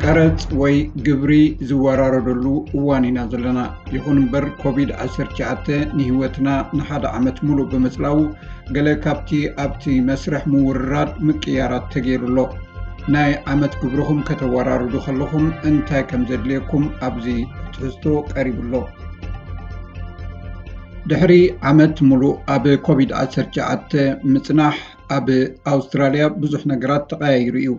ቀረጽ ወይ ግብሪ ዝወራረደሉ እዋን ኢና ዘለና። ይኹን እምበር ኮቪድ ዓሰርተ ትሽዓተ ንህይወትና ንሓደ ዓመት ሙሉእ ብምጽላዉ፣ ገለ ካብቲ ኣብቲ መስርሕ ምውርራድ ምቅያራት ተገይሩ ኣሎ። ናይ ዓመት ግብርኹም ከተወራርዱ ከለኹም እንታይ ከም ዘድልየኩም ኣብዚ ትሕዝቶ ቀሪቡ ኣሎ። ድሕሪ ዓመት ሙሉእ ኣብ ኮቪድ ዓሰርተ ትሽዓተ ምጽናሕ፣ ኣብ ኣውስትራልያ ብዙሕ ነገራት ተቐያይሩ እዩ።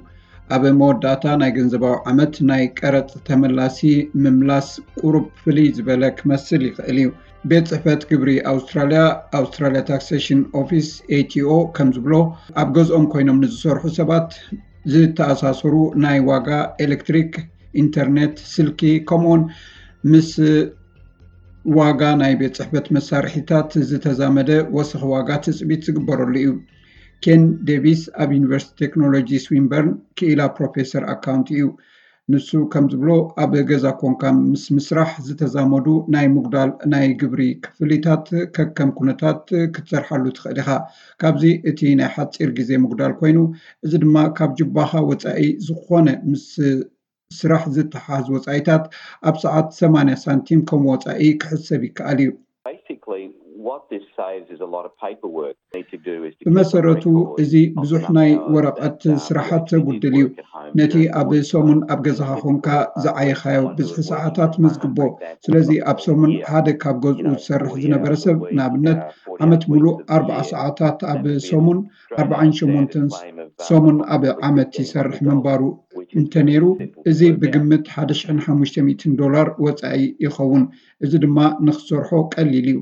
ኣብ መወዳእታ ናይ ገንዘባዊ ዓመት ናይ ቀረጽ ተመላሲ ምምላስ ቁሩብ ፍልይ ዝበለ ክመስል ይኽእል እዩ። ቤት ጽሕፈት ግብሪ ኣውስትራልያ፣ ኣውስትራልያ ታክሴሽን ኦፊስ፣ ኤ ቲ ኦ፣ ከም ዝብሎ፣ ኣብ ገዝኦም ኮይኖም ንዝሰርሑ ሰባት ዝተኣሳሰሩ ናይ ዋጋ ኤሌክትሪክ፣ ኢንተርኔት፣ ስልኪ፣ ከምኡውን ምስ ዋጋ ናይ ቤት ጽሕፈት መሳርሒታት ዝተዛመደ ወሰኽ ዋጋ ትጽቢት ዝግበረሉ እዩ። ኬን ዴቪስ ኣብ ዩኒቨርሲቲ ቴክኖሎጂ ስዊንበርን ክኢላ ፕሮፌሰር ኣካውንቲ እዩ። ንሱ ከም ዝብሎ፣ ኣብ ገዛ ኮንካ ምስ ምስራሕ ዝተዛመዱ ናይ ምጉዳል ናይ ግብሪ ክፍሊታት ከከም ኩነታት ክትሰርሓሉ ትኽእል ኢኻ። ካብዚ እቲ ናይ ሓጺር ግዜ ምጉዳል ኮይኑ፣ እዚ ድማ ካብ ጁባኻ ወጻኢ ዝኾነ ምስ ስራሕ ዝተሓዝ ወጻኢታት ኣብ ሰዓት ሰማንያ ሳንቲም ከም ወጻኢ ክሕሰብ ይከኣል እዩ። Basically, what this saves is a lot of paperwork. Need to do is to keep a ብመሰረቱ record እዚ of ብዙሕ the ናይ number of hours ወረቐት that, um, ስራሓት you did ተጉድል እዩ። work at home ነቲ during ኣብ work ሰሙን time. ኣብ ገዛኻ Typically, ኮንካ uh, ዝዓየኻዮ everyone who ብዝሒ works ሰዓታት from home መዝግቦ። break that ስለዚ across ኣብ the ሰሙን year. ሓደ ካብ ገዝኡ You know, ዝሰርሕ forty ዝነበረ hours a ሰብ week, ንኣብነት uh, forty ዓመት hours a ሙሉእ week of the ኣርብዓ year ሰዓታት ኣብ has to be ሰሙን dragged ኣርብዓን down the ሸሞንተን flame of, uh, ሰሙን of ኣብ the ዓመት fifteen ይሰርሕ hundred dollars, ምንባሩ which is then እንተነይሩ፣ simple to እዚ work out. ብግምት ሓደ ሽሕን ሓሙሽተ ሚእትን ዶላር ወጻኢ ይኸውን። እዚ ድማ ንኽሰርሖ ቀሊል እዩ።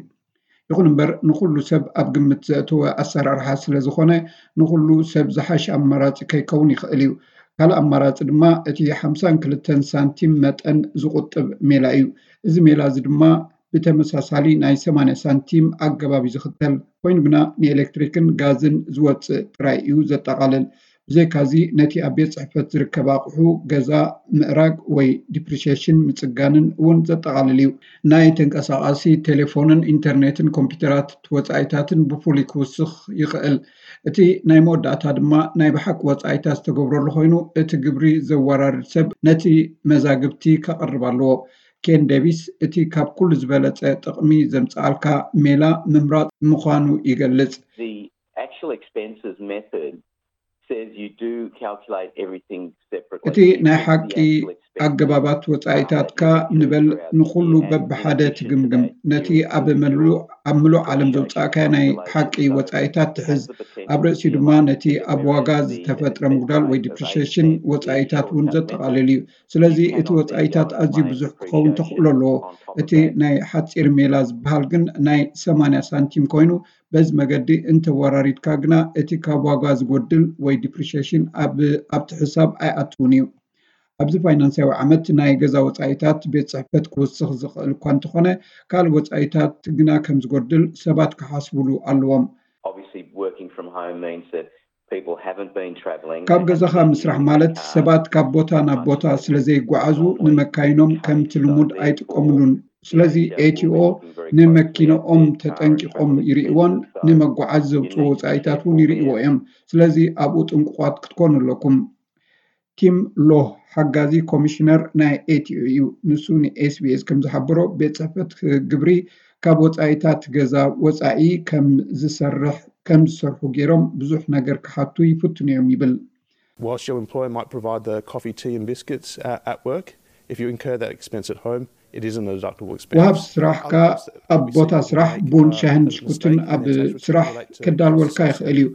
ይኹን እምበር ንኹሉ ሰብ ኣብ ግምት ዘእተወ ኣሰራርሓ ስለ ዝኾነ፣ ንኹሉ ሰብ ዝሓሸ ኣማራጺ ከይከውን ይኽእል እዩ። ካልእ ኣማራጺ ድማ እቲ ሓምሳን ክልተን ሳንቲም መጠን ዝቑጥብ ሜላ እዩ። እዚ ሜላ እዚ ድማ ብተመሳሳሊ ናይ ሰማንያ ሳንቲም ኣገባብ እዩ ዝኽተል። ኮይኑ ግና ንኤሌክትሪክን ጋዝን ዝወጽእ ጥራይ እዩ ዘጠቓልል። ብዘይካዚ ነቲ ኣብ ቤት ጽሕፈት ዝርከብ ኣቑሑ ገዛ ምእራግ ወይ ዲፕሪሺየሽን ምጽጋንን እውን ዘጠቓልል እዩ። ናይ ተንቀሳቓሲ ቴሌፎንን ኢንተርኔትን ኮምፒውተራት ወጻኢታትን ብፍሉይ ክውስኽ ይኽእል። እቲ ናይ መወዳእታ ድማ ናይ ብሓቂ ወጻኢታት ዝተገብረሉ ኮይኑ፣ እቲ ግብሪ ዘወራርድ ሰብ ነቲ መዛግብቲ ከቕርብ ኣለዎ። ኬን ዴቪስ እቲ ካብ ኩሉ ዝበለጸ ጥቕሚ ዘምጽኣልካ ሜላ ምምራጽ ምዃኑ ይገልጽ። The actual expenses method says you do calculate everything separately. እቲ ናይ ሓቂ ኣገባባት ወጻኢታትካ ንበል ንኹሉ በብሓደ ትግምግም። ነቲ ኣብ መሉ ኣብ ምሉእ ዓለም ዘውጻእካዮ ናይ ሓቂ ወጻኢታት ትሕዝ። ኣብ ርእሲኡ ድማ ነቲ ኣብ ዋጋ ዝተፈጥረ ምጉዳል ወይ ዲፕሪሺየሽን ወጻኢታት እውን ዘጠቓልል እዩ። ስለዚ እቲ ወጻኢታት ኣዝዩ ብዙሕ ክኸውን ተኽእሎ ኣለዎ። እቲ ናይ ሓጺር ሜላ ዝበሃል ግን ናይ ሰማንያ ሳንቲም ኮይኑ፣ በዚ መገዲ እንተወራሪድካ ግና እቲ ካብ ዋጋ ዝጎድል ወይ ዲፕሪሺየሽን ኣብ ኣብቲ ሕሳብ ኣይኣትውን እዩ። ኣብዚ ፋይናንሳዊ ዓመት ናይ ገዛ ወጻኢታት ቤት ጽሕፈት ክውስኽ ዝኽእል እኳ እንተኾነ፣ ካልእ ወጻኢታት ግና ከም ዝጎድል ሰባት ክሓስቡሉ ኣለዎም። Obviously, working from home means that people haven't been travelling. ካብ ገዛኻ ምስራሕ ማለት ሰባት ካብ ቦታ ናብ ቦታ ስለ ዘይጓዓዙ ንመካይኖም ከምቲ ልሙድ ኣይጥቀሙሉን። ስለዚ ኤቲኦ ንመኪንኦም ተጠንቂቖም ይርእይዎን ንመጓዓዚ ዘውፅኡ ወፃኢታት እውን ይርእይዎ እዮም። ስለዚ ኣብኡ ጥንቁቋት ክትኮኑ ኣለኩም። ቲም ሎህ ሓጋዚ ኮሚሽነር ናይ ኤቲኦ እዩ። ንሱ ንኤስቢኤስ ከም ዝሓበሮ ቤት ፅሕፈት ግብሪ ካብ ወፃኢታት ገዛ ወፃኢ ከም ዝሰርሕ ከም ዝሰርሑ ገይሮም ብዙሕ ነገር ክሓቱ ይፍትኑ እዮም ይብል። Whilst your employer might provide the coffee, tea, and biscuits uh, at work, if you incur that expense at home, it isn't a deductible expense. ወሃብ ስራሕካ ኣብ ቦታ ስራሕ ቡን፣ ሻህን ብሽኩትን ኣብ ስራሕ ከዳልወልካ ይኽእል እዩ።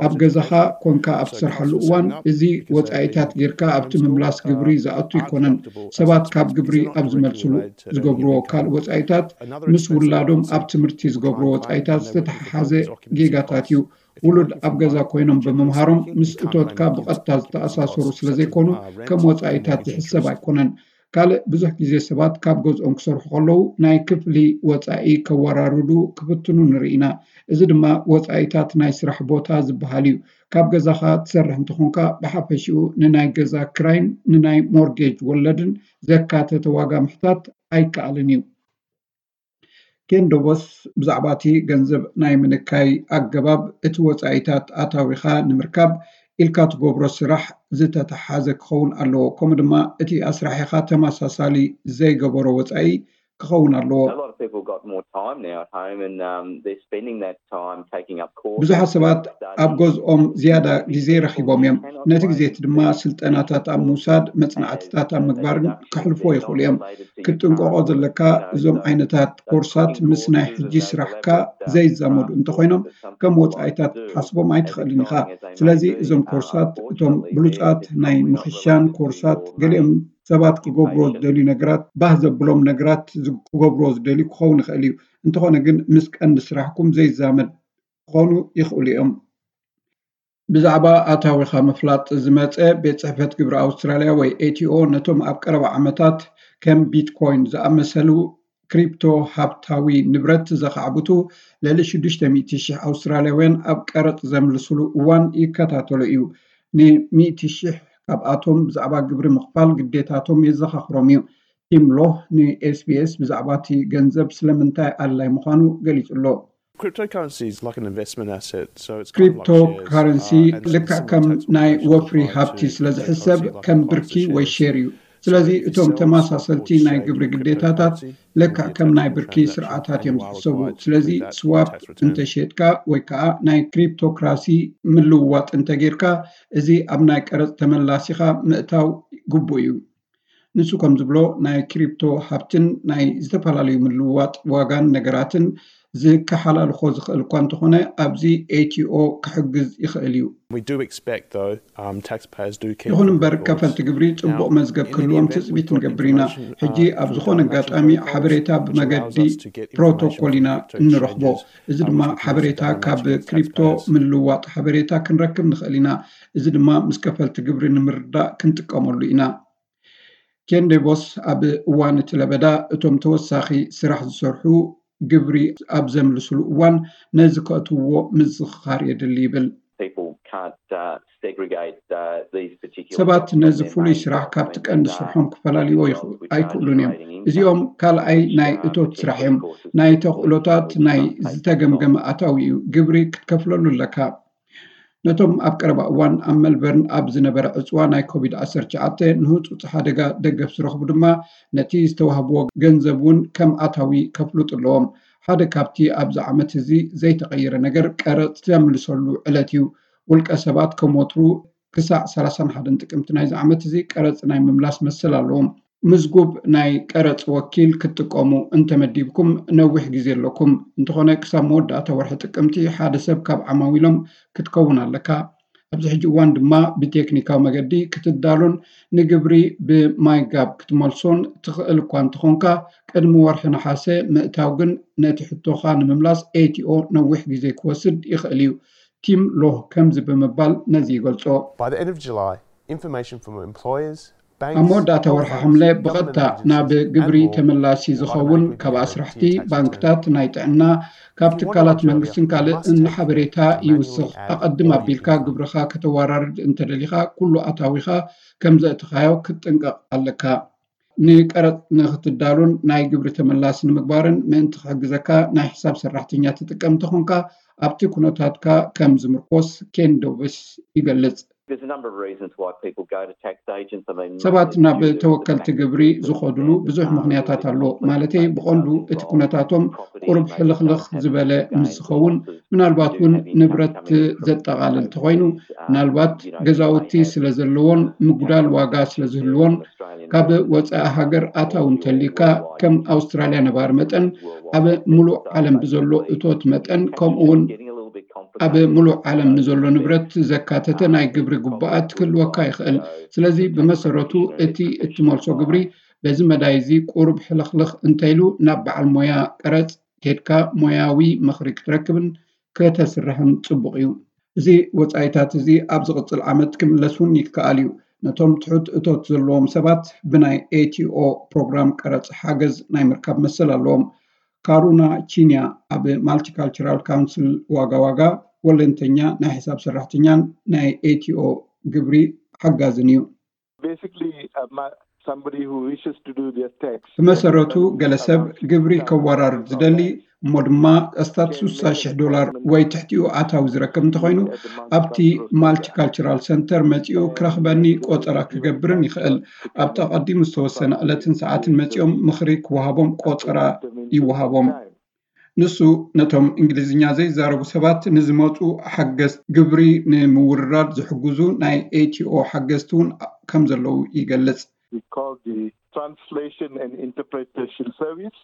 ኣብ ገዛኻ ኮንካ ኣብ ትሰርሓሉ እዋን እዚ ወፃኢታት ጌርካ ኣብቲ ምምላስ ግብሪ ዝኣቱ ኣይኮነን። ሰባት ካብ ግብሪ ኣብ ዝመልስሉ ዝገብርዎ ካልእ ወፃኢታት ምስ ውላዶም ኣብ ትምህርቲ ዝገብርዎ ወፃኢታት ዝተተሓሓዘ ጌጋታት እዩ። ውሉድ ኣብ ገዛ ኮይኖም ብምምሃሮም ምስ እቶትካ ብቐጥታ ዝተኣሳሰሩ ስለ ዘይኮኑ ከም ወጻኢታት ዝሕሰብ ኣይኮነን። ካልእ ብዙሕ ግዜ ሰባት ካብ ገዝኦም ክሰርሑ ከለዉ ናይ ክፍሊ ወጻኢ ከወራርዱ ክፍትኑ ንርኢ ኢና። እዚ ድማ ወጻኢታት ናይ ስራሕ ቦታ ዝበሃል እዩ። ካብ ገዛኻ ትሰርሕ እንተኾንካ ብሓፈሽኡ ንናይ ገዛ ክራይን ንናይ ሞርጌጅ ወለድን ዘካተተ ዋጋ ምሕታት ኣይከኣልን እዩ። ኬን ዶቦስ ብዛዕባ እቲ ገንዘብ ናይ ምንካይ ኣገባብ፣ እቲ ወጻኢታት ኣታዊኻ ንምርካብ ኢልካ ትገብሮ ስራሕ ዝተተሓዘ ክኸውን ኣለዎ። ከምኡ ድማ እቲ ኣስራሒኻ ተመሳሳሊ ዘይገበሮ ወፃኢ ክኸውን ኣለዎ። ብዙሓት ሰባት ኣብ ገዝኦም ዝያዳ ግዜ ረኺቦም እዮም። ነቲ ግዜ እቲ ድማ ስልጠናታት ኣብ ምውሳድ፣ መጽናዕትታት ኣብ ምግባርን ከሕልፍዎ ይኽእሉ እዮም። ክትጥንቀቖ ዘለካ፣ እዞም ዓይነታት ኮርሳት ምስ ናይ ሕጂ ስራሕካ ዘይዛመዱ እንተኾይኖም፣ ከም ወጻኢታት ክትሓስቦም ኣይትኽእልን ኢኻ። ስለዚ እዞም ኮርሳት፣ እቶም ብሉጻት ናይ ምኽሻን ኮርሳት፣ ገሊኦም ሰባት ክገብርዎ ዝደልዩ ነገራት፣ ባህ ዘብሎም ነገራት ዝ- ክገብርዎ ዝደልዩ ክኸውን ይኽእል እዩ። እንተኾነ ግን ምስ ቀንዲ ስራሕኩም ዘይዛመድ ክኾኑ ይኽእሉ እዮም። ብዛዕባ ኣታዊኻ ምፍላጥ ዝመጸ፣ ቤት ጽሕፈት ግብሪ ኣውስትራልያ ወይ ኤቲኦ ነቶም ኣብ ቀረባ ዓመታት ከም ቢትኮይን ዝኣመሰሉ ክሪፕቶ ሃብታዊ ንብረት ዘኻዕብቱ ልዕሊ ሽዱሽተ ሚእቲ ሽሕ ኣውስትራልያውያን ኣብ ቀረጽ ዘምልስሉ እዋን ይከታተሎ እዩ። ንሚእቲ ሽሕ ካብኣቶም ብዛዕባ ግብሪ ምኽፋል ግዴታቶም የዘኻኽሮም እዩ። ቲም ሎህ ንኤስቢኤስ ብዛዕባ እቲ ገንዘብ ስለምንታይ ኣድላይ ምዃኑ ገሊጹ ኣሎ። Cryptocurrency is like an investment asset. So it's kind of ክሪፕቶ like shares, ካረንሲ uh, and it's a ልክዕ similar ከም tax ናይ regime ወፍሪ applied to ሃብቲ ስለ cryptocurrency ዝሕሰብ like ከም applies ብርኪ to ወይ shares. ሼር እዩ። ስለዚ እቶም ተመሳሰልቲ ናይ ግብሪ ግዴታታት ለክዕ ከም ናይ ብርኪ ስርዓታት እዮም ዝሕሰቡ። ስለዚ ስዋፕ እንተሸጥካ ወይ ከዓ ናይ ክሪፕቶክራሲ ምልውዋጥ እንተጌርካ፣ እዚ ኣብ ናይ ቀረፅ ተመላሲኻ ምእታው ግቡእ እዩ። ንሱ ከም ዝብሎ፣ ናይ ክሪፕቶ ሃብትን ናይ ዝተፈላለዩ ምልውዋጥ ዋጋን ነገራትን ዝከሓላልኾ ዝኽእል እኳ እንተኾነ፣ ኣብዚ ኤቲኦ ክሕግዝ ይኽእል እዩ። We do expect, though, um, taxpayers do keep ይኹን good እምበር records. ከፈልቲ ግብሪ ጽቡቕ Now, መዝገብ in the ክህልዎም event we ትጽቢት got ንገብር ኢና። information, ሕጂ uh, ኣብ through ዝኾነ data matching ኣጋጣሚ protocols, ሓበሬታ which allows ብመገዲ us to get information ፕሮቶኮል from ኢና crypto እንረኽቦ። exchanges, እዚ um, ድማ which can be used ሓበሬታ to data ካብ matching against ክሪፕቶ taxpayers. ምልውዋጥ ሓበሬታ ክንረክብ ንኽእል ኢና። እዚ ድማ ምስ ከፈልቲ ግብሪ ንምርዳእ ክንጥቀመሉ ኢና። ኬን ዴቮስ ኣብ እዋን እቲ ለበዳ እቶም ተወሳኺ ስራሕ ዝሰርሑ ግብሪ ኣብ ዘምልስሉ እዋን ነዚ ከእትውዎ ምዝኽኻር የድሊ ይብል። People can't uh, segregate uh, these particular ሰባት jobs from ነዚ their ፍሉይ main ስራሕ job. ካብቲ And, ቀንዲ uh, ስርሖም ክፈላልይዎ jobs ይኽእሉ which are ኣይክእሉን እዮም። generating income, እዚኦም ካልኣይ which, ናይ uh, እቶት potentially ስራሕ እዮም። causes ናይ people to ተኽእሎታት become ናይ pay tax ዝተገምገመ on. ኣታዊ እዩ። ግብሪ ክትከፍለሉ ኣለካ። ነቶም ኣብ ቀረባ እዋን ኣብ መልበርን ኣብ ዝነበረ ዕፅዋ ናይ ኮቪድ ዓሰርተ ትሽዓተ ንህፁፅ ሓደጋ ደገፍ ዝረኽቡ ድማ ነቲ ዝተዋህብዎ ገንዘብ እውን ከም ኣታዊ ከፍልጡ ኣለዎም። ሓደ ካብቲ ኣብዚ ዓመት እዚ ዘይተቐየረ ነገር ቀረፅ ዘምልሰሉ ዕለት እዩ። ውልቀ ሰባት ከም ወትሩ ክሳዕ ሰላሳን ሓደን ጥቅምቲ ናይዚ ዓመት እዚ ቀረፅ ናይ ምምላስ መሰል ኣለዎም። ምዝጉብ ናይ ቀረፅ ወኪል ክትጥቀሙ እንተመዲብኩም ነዊሕ ግዜ ኣለኩም። እንተኾነ ክሳብ መወዳእታ ወርሒ ጥቅምቲ ሓደ ሰብ ካብ ዓማዊሎም ክትከውን ኣለካ። ኣብዚ ሕጂ እዋን ድማ ብቴክኒካዊ መገዲ ክትዳሎን ንግብሪ ብማይጋብ ክትመልሶን ትኽእል እኳ እንተኾንካ፣ ቅድሚ ወርሒ ነሓሰ ምእታው ግን ነቲ ሕቶኻ ንምምላስ ኤቲኦ ነዊሕ ግዜ ክወስድ ይኽእል እዩ። ቲም ሎህ ከምዚ ብምባል ነዚ ይገልጾ። By the end of July, information from employers, banks, ኣብ መወዳእታ ወርሒ ሓምለ ብቐጥታ ናብ ግብሪ ተመላሲ ዝኸውን ካብ ኣስራሕቲ፣ ባንክታት፣ ናይ ጥዕና፣ ካብ ትካላት መንግስትን ካልእን ሓበሬታ ይውስኽ። ኣቐድም ኣቢልካ ግብርኻ ከተወራርድ እንተደሊኻ፣ ኩሉ ኣታዊኻ ከም ዘእትኻዮ ክትጥንቀቕ ኣለካ። ንቀረጽ ንክትዳሉን ናይ ግብሪ ተመላሲ ንምግባርን ምእንቲ ክሕግዘካ፣ ናይ ሕሳብ ሰራሕተኛ ትጥቀም እንተኾንካ፣ ኣብቲ ኩነታትካ ከም ዝምርኮስ ኬን ዶቭስ ይገልጽ። There's a number of reasons why people go to tax agents. I mean, ሰባት mainly ናብ due to the ተወከልቲ fact ግብሪ that ዝኸዱሉ their, ብዙሕ um, ምኽንያታት ኣሎ። complex ማለተይ budget ብቐንዱ does እቲ involve ኩነታቶም property, ቁሩብ they ሕልኽልኽ don't have ዝበለ capital ምስ gains ዝኸውን፣ losses, ምናልባት do እውን have income ንብረት coming from ዘጠቓልል overseas, እንተኾይኑ፣ um, ምናልባት you know, they ገዛውቲ have ስለ ዘለዎን tax ምጉዳል on ዋጋ assets ስለ there ዝህልዎን፣ on Australian ካብ dollars, ወፃኢ ሃገር um, ኣታዊ or እንተልዩካ፣ worldwide ከም income, ኣውስትራልያ ነባሪ መጠን worldwide ኣብ investors ሙሉእ are ዓለም ብዘሎ basically እቶት መጠን፣ tax ከምኡ እውን is getting a little bit ኣብ complicated. ሙሉእ ዓለም So ንዘሎ it's ንብረት ዘካተተ ናይ ግብሪ ግቡኣት ክህልወካ ይኽእል። ስለዚ ብመሰረቱ እቲ እትመልሶ ግብሪ በዚ መዳይ እዚ ቁሩብ ሕልኽልኽ እንተኢሉ፣ ናብ በዓል ሞያ ቀረጽ ኬድካ ሞያዊ ምኽሪ ክትረክብን ከተስርሕን ጽቡቕ እዩ። እዚ ወጻኢታት እዚ ኣብ ዝቕጽል ዓመት ክምለስ እውን ይከኣል እዩ። ነቶም ትሑት እቶት ዘለዎም ሰባት ብናይ ኤቲኦ ፕሮግራም ቀረጽ ሓገዝ ናይ ምርካብ መሰል ኣለዎም። ካሩና ቺንያ ኣብ ማልቲካልቸራል ካውንስል ዋጋ ዋጋ ወለንተኛ ናይ ሕሳብ ሰራሕተኛን ናይ ኤቲኦ ግብሪ ሓጋዝን እዩ። Basically, uh, my, somebody who wishes to do their tax. ብመሰረቱ ገለ ሰብ ግብሪ ከወራርድ ዝደሊ እሞ ድማ ኣስታት ስሳ ሽሕ ዶላር ወይ ትሕቲኡ ኣታዊ ዝረከብ እንተኾይኑ፣ ኣብቲ ማልቲካልቸራል ሰንተር መጺኡ ክረኽበኒ ቆጸራ ክገብርን ይኽእል። ኣብቲ ኣቐዲሙ ዝተወሰነ ዕለትን ሰዓትን መጺኦም ምኽሪ ክወሃቦም ቆጸራ ይወሃቦም። ንሱ ነቶም እንግሊዝኛ ዘይዛረቡ ሰባት ንዝመጹ ሓገዝቲ ግብሪ ንምውርራድ ዝሕግዙ ናይ ኤቲኦ ሓገዝቲ እውን ከም ዘለዉ ይገልጽ። We call the Translation and Interpretation Service.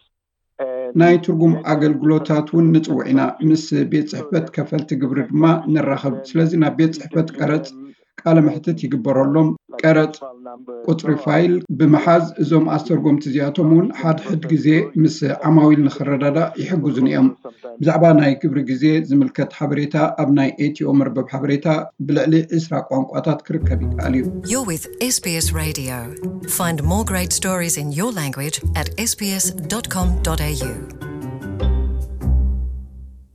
ናይ ትርጉም ኣገልግሎታት እውን ንጽውዕ ኢና። ምስ ቤት ጽሕፈት ከፈልቲ ግብሪ ድማ ንራኸብ። ስለዚ ናብ ቤት ጽሕፈት ቀረጽ ቃለ መሕትት ይግበረሎም። ቀረጽ ቁጽሪ ፋይል ብምሓዝ እዞም ኣስተርጎምቲ እዚኣቶም እውን ሓድሕድ ግዜ ምስ ዓማዊል ንኽረዳዳእ ይሕግዙን እዮም። ብዛዕባ ናይ ግብሪ ግዜ ዝምልከት ሓበሬታ ኣብ ናይ ኤቲኦ መርበብ ሓበሬታ ብልዕሊ ዕስራ ቋንቋታት ክርከብ ይከኣል እዩ። You're with S B S Radio. Find more great stories in your language at S B S dot com dot A U.